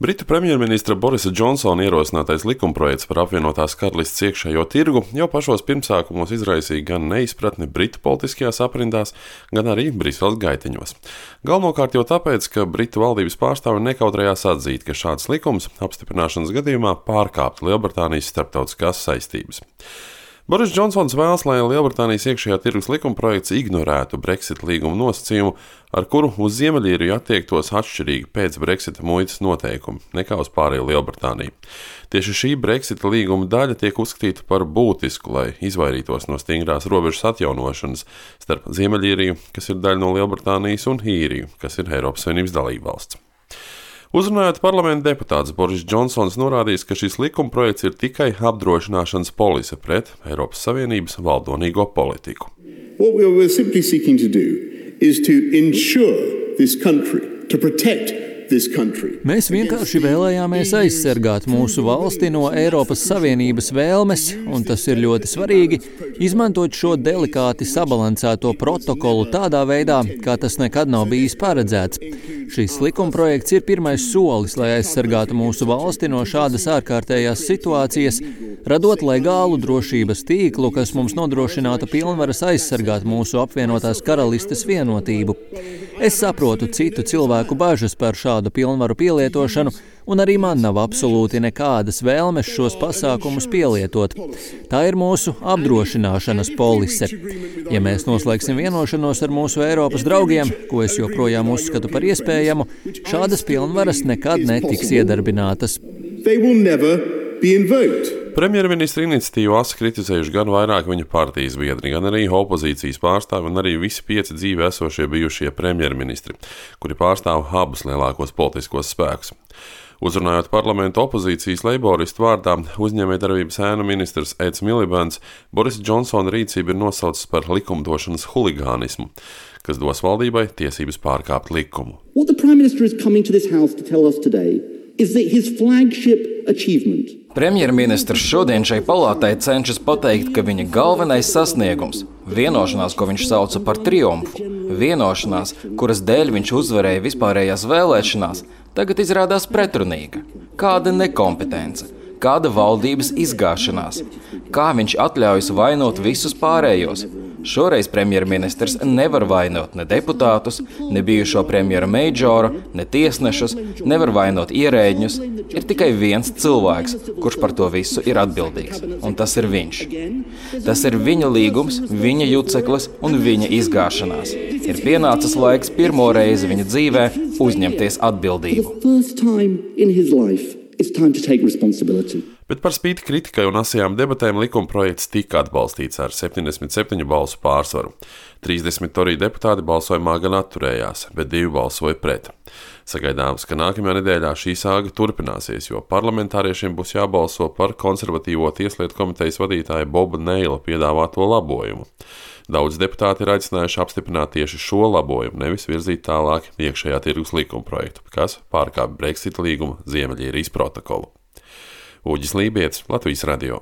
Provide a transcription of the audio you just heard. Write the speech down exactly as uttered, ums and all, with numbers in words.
Britu premjerministra Borisa Džonsona ierosinātais likumprojekts par apvienotās karalistes iekšējo tirgu jau pašos pirmsākumos izraisīja gan neizpratni Britu politiskajās aprindās, gan arī Briseles gaiteņos. Galvenokārt jau tāpēc, ka Britu valdības pārstāvi nekautrējās atzīt, ka šāds likums apstiprināšanas gadījumā pārkāptu Lielbritānijas starptautiskās saistības. Boris Džonsons vēlas, lai Lielbritānijas iekšējā tirgus likumprojekts ignorētu Brexit līguma nosacījumu, ar kuru uz Ziemeļīriju attiektos atšķirīgi pēc Brexita muitas noteikumi nekā uz pārējo Lielbritāniju. Tieši šī Brexita līguma daļa tiek uzskatīta par būtisku, lai izvairītos no stingrās robežas atjaunošanas starp Ziemeļīriju, kas ir daļa no Lielbritānijas, un Īriju, kas ir Eiropas Savienības dalībvalsts. Uzrunājot parlamenta deputāts, Boris Džonsons norādījis, ka šis likumprojekts ir tikai apdrošināšanas polise pret Eiropas Savienības valdonīgo politiku. What we are simply seeking to do is to ensure this country, to protect this country. Mēs vienkārši vēlējāmies aizsargāt mūsu valsti no Eiropas Savienības vēlmes, un tas ir ļoti svarīgi, izmantot šo delikāti sabalansēto protokolu tādā veidā, kā tas nekad nav bijis paredzēts. Šis likumprojekts ir pirmais solis, lai aizsargātu mūsu valsti no šādas ārkārtējās situācijas, radot legālu drošības tīklu, kas mums nodrošinātu pilnvaras aizsargāt mūsu apvienotās karalistes vienotību. Es saprotu citu cilvēku bažas par šādu pilnvaru pielietošanu, un arī man nav absolūti nekādas vēlmes šos pasākumus pielietot. Tā ir mūsu apdrošināšanas polise. Ja mēs noslēgsim vienošanos ar mūsu Eiropas draugiem, ko es joprojām uzskatu par iespējamu, šādas pilnvaras nekad netiks iedarbinātas. Premjerministra iniciatīvu asi kritizējuši gan vairāk viņa partijas biedri, gan arī opozīcijas pārstāvi un arī visi pieci dzīvi esošie bijušie premjerministri, kuri pārstāv abus lielākos politiskos spēkus. Uzrunājot parlamentu opozīcijas leiboristu vārdā, uzņēmējdarbības ēnu ministrs Eds Milibans Borisa Džonsona rīcību ir nosaucis par likumdošanas huligānismu, kas dos valdībai tiesības pārkāpt likumu. What the Prime Minister is coming to this house to tell us today is that his flagship achievement. Premjerministrs šodien šai palātai cenšas pateikt, ka viņa galvenais sasniegums, vienošanās, ko viņš sauca par triumfu, vienošanās, kuras dēļ viņš uzvarēja vispārējās vēlēšanās, tagad izrādās pretrunīga. Kāda nekompetence, kāda valdības izgāšanās, kā viņš atļaujas vainot visus pārējos. Šoreiz premjerministrs nevar vainot ne deputātus, ne bijušo premjera Meidžoru, ne tiesnešus, nevar vainot ierēģņus. Ir tikai viens cilvēks, kurš par to visu ir atbildīgs, un tas ir viņš. Tas ir viņa līgums, viņa juceklis un viņa izgāšanās. Ir pienācis laiks pirmo reizi viņa dzīvē uzņemties atbildību. Bet par spīti kritikai un asajām debatēm likumprojekts tika atbalstīts ar septiņdesmit septiņu balsu pārsvaru. trīsdesmit toriju deputāti balsojumā gan atturējās, bet divi balsoja pret. Sagaidāms, ka nākamajā nedēļā šī sāga turpināsies, jo parlamentāriešiem būs jābalso par konservatīvo tieslietu komitejas vadītāja Boba Neila piedāvāto labojumu. Daudz deputāti ir aicinājuši apstiprināt tieši šo labojumu, nevis virzīt tālāk iekšējā tirgus likumprojektu, kas pārkāpj Brexit līguma Ziemeļīrijas protokolu. Uģis Lībietis, Latvijas radio.